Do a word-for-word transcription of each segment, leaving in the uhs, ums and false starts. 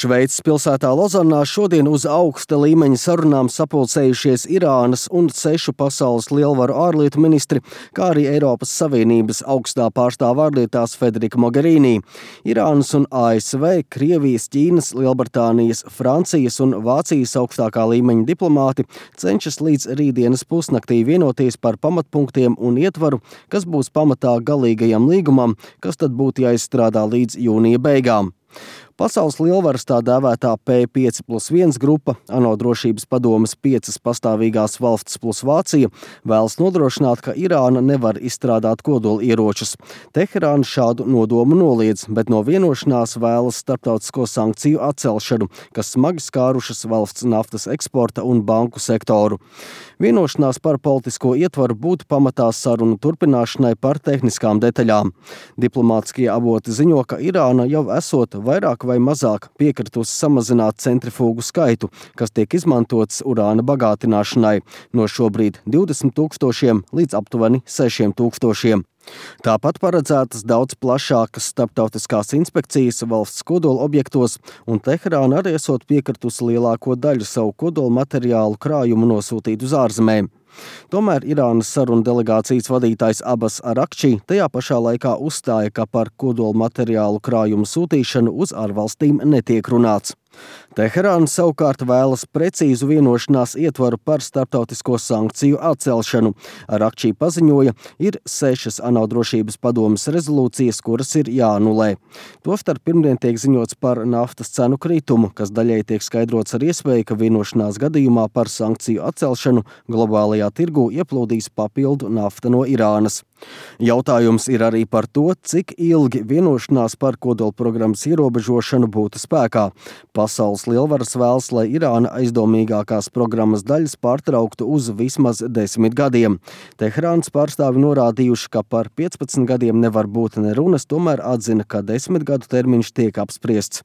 Šveices pilsētā Lozannā šodien uz augsta līmeņa sarunām sapulcējušies Irānas un sešu pasaules lielvaru ārlietu ministri, kā arī Eiropas Savienības augstā pārstāve ārlietās Federica Mogherini. Irānas un A S V, Krievijas, Ķīnas, Lielbritānijas, Francijas un Vācijas augstākā līmeņa diplomāti cenšas līdz rītdienas pusnaktī vienoties par pamatpunktiem un ietvaru, kas būs pamatā galīgajam līgumam, kas tad būtu jāizstrādā līdz jūnija beigām. Pasaules lielvaras tā dēvētā P pieci plus viens grupa, ANO drošības padomes piecas pastāvīgās valstis plus Vācija, vēlas nodrošināt, ka Irāna nevar izstrādāt kodolieročus. Teherāna šādu nodomu noliedz, bet no vienošanās vēlas starptautisko sankciju atcelšanu, kas smagi skārušas valsts naftas eksporta un banku sektoru. Vienošanās par politisko ietvaru būtu pamatā sarunu turpināšanai par tehniskām detaļām. Diplomātiskie avoti ziņo, ka Irāna jau esot vairāk vai mazāk piekritusi samazināt centrifūgu skaitu, kas tiek izmantots urāna bagātināšanai, no šobrīd divdesmit tūkstošiem līdz aptuveni sešiem tūkstošiem. Tāpat paredzētas daudz plašākas starptautiskās inspekcijas valsts kodola objektos, un Teherāna arī esot piekritusi lielāko daļu savu kodola materiālu krājumu nosūtīt uz ārzemēm. Tomēr Irānas sarunu delegācijas vadītājs Abbas Arakči tajā pašā laikā uzstāja, ka par kodola materiālu krājumu sūtīšanu uz ārvalstīm netiek runāts. Teherāna savukārt vēlas precīzu vienošanās ietvaru par starptautisko sankciju atcelšanu. Arakči paziņoja, ir sešas ANO drošības padomes rezolūcijas, kuras ir jāanulē. Tostarp pirmdien tiek ziņots par naftas cenu kritumu, kas daļai tiek skaidrots ar iespēju, ka vienošanās gadījumā par sankciju atcelšanu globālajā tirgū ieplūdīs papildu nafta no Irānas. Jautājums ir arī par to, cik ilgi vienošanās par kodolprogrammas ierobežošanu būtu spēkā. Pasaules lielvaras vēlas, lai Irāna aizdomīgākās programmas daļas pārtrauktu uz vismaz desmit gadiem. Teherānas pārstāvi norādījuši, ka par piecpadsmit gadiem nevar būt ne runas, tomēr atzina, ka desmit gadu termiņš tiek apspriests.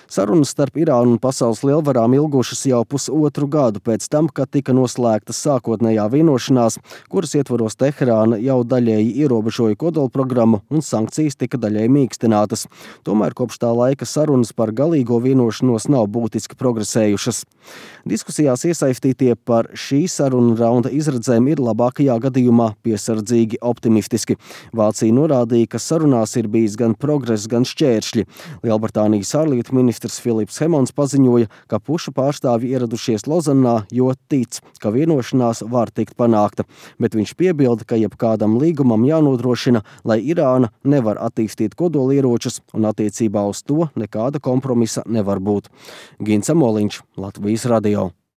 Sarunas starp Irānu un pasaules lielvarām ilgušas jau pusotru gadu pēc tam, kad tika noslēgta sākotnējā vienošanās, kuras ietvaros Teherāna jau daļēji ierobežoja kodolprogrammu un sankcijas tika daļēji mīkstinātas. Tomēr kopš tā laika sarunas par galīgo vienošanos nav būtiski progresējušas. Diskusijās iesaistītie par šī sarunu raunda izredzēm ir labākajā gadījumā piesardzīgi optimistiski. Vācija norādīja, ka sarunās ir bijis gan progress, gan šķēršļi. Lielbritānijas ārlietu ministrs Filips Hemons paziņoja, ka pušu pārstāvji ieradušies Lozannā, jo tic, ka vienošanās var tikt panākta, bet viņš piebilda, ka jebkādam līgumam jānodrošina, lai Irāna nevar attīstīt kodolieročus un attiecībā uz to nekāda kompromisa nevar būt. Gins Amoliņš, Latvijas radio.